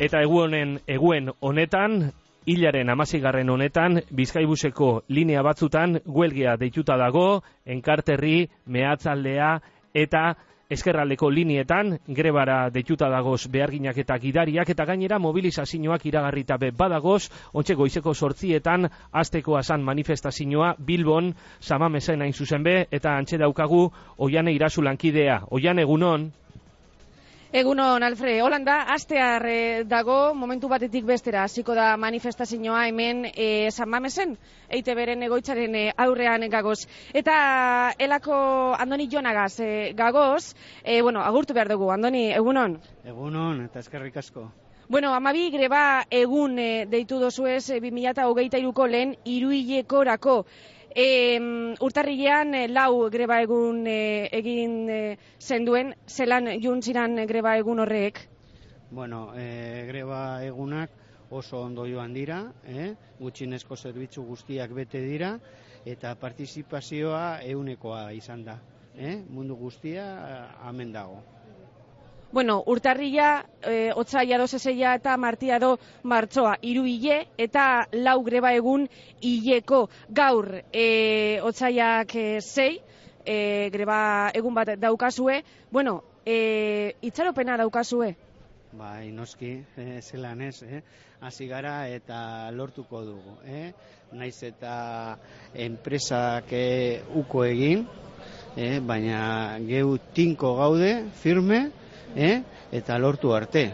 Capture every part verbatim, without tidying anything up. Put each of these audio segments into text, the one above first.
Eta egunen, eguen honetan, hilaren hamaseigarren honetan, Bizkaibuseko linea batzutan huelgia deituta dago, Enkarterri, Meatzaldea eta Ezkerraldeko linietan grebara deituta dagoz beharginak eta gidariak, eta gainera mobilizazioak iragarrita be badagoz, ontxe goizeko sortzietan hasteko asan manifestazioa Bilbon, Samamesen hain zuzen be, eta antxe daukagu Oiane Irazu lankidea. Oiane, egunon? Egunon, Alfre, Holanda, astear eh, dago, momentu batetik bestera, hasiko da manifestazioa hemen eh, San Mamesen, E I Te Beren egoitzaren eh, aurrean gagoz. Eta elako Andoni Jonagaz eh, gagoz, eh, bueno, agurtu behar dugu, Andoni, egunon? Egunon, eta eskerrik asko. Bueno, amabi greba egun eh, deitu dozuez eh, bi mila hogeita hiruko lehen hiruhilekorako. E, urtarrilean e, lau greba egun e, egin e, zenduen, zelan juntziran greba egun horrek? Bueno, e, greba egunak oso ondo joan dira, eh? Gutxienezko zerbitzu guztiak bete dira, eta partizipazioa ehunekoa izan da. Eh? Mundu guztia hemen dago. Bueno, urtarrila, e, otsaila dozezeia eta martia do martzoa, hiru hile eta lau greba egun hileko. Gaur, e, otsailak e, sei, e, greba egun bat daukazue. Bueno, e, itxaropena daukazue? Bai, noski, e, zelan ez, eh? Hasi gara eta lortuko dugu. Eh? Naiz eta enpresak e, uko egin, eh? Baina geu tinko gaude, firme, Eh? eta lortu arte.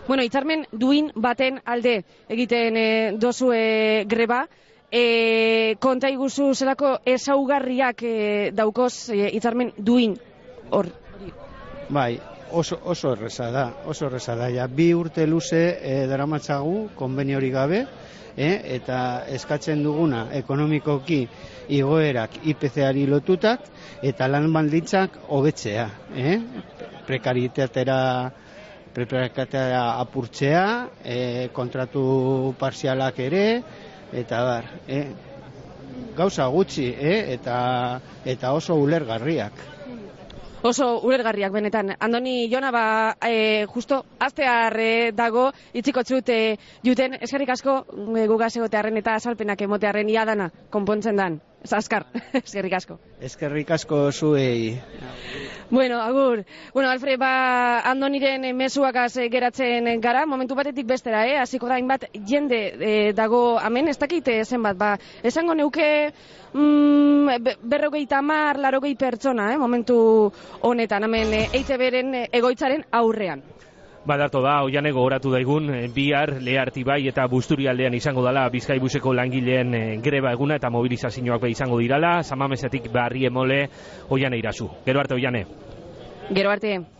Bueno, hitzarmen duin baten alde egiten e, dozue greba, e, konta iguzu zelako ezaugarriak e, daukoz e, hitzarmen duin hor. Bai, oso, oso erreza da, oso erreza da, ja, bi urte luze e, daramatzagu konbenio hori gabe, eh? eta eskatzen duguna ekonomikoki igoerak I P C-ari lotutak eta lan baldintzak hobetzea, eh? Prekarietatera prekarietatera apurtzea, eh, kontratu parzialak ere, eta bar, eh? gauza gutxi, eh? eta, eta oso ulergarriak. Oso ulergarriak benetan. Andoni Jona, ba, e, justo astear e, dago, itziko txut e, juten, eskerrik asko e, gugaz egotearen eta azalpenak emotearen ia dana, konpontzen dan. Azkar, eskerrik asko. Eskerrik asko zuei. Bueno, agur. Bueno, Alfred, ba, Andoniren mezuakaz geratzen gara, momentu batetik bestera, eh? Hasiko da hainbat jende e, dago hemen, ez dakite zenbat, ba, esango neuke mm, berrogeita hamar, larogei pertsona, eh? Momentu honetan, hemen E I Te Beren egoitzaren aurrean. Badarto da, Oiane gogoratu daigun, bihar Lehartibai eta Busturialdean izango dela Bizkaibuseko langileen greba eguna eta mobilizazioak be izango dirala, Samamesetik Barriemole, Oiane Irazu. Gero arte, Oiane. Gero arte.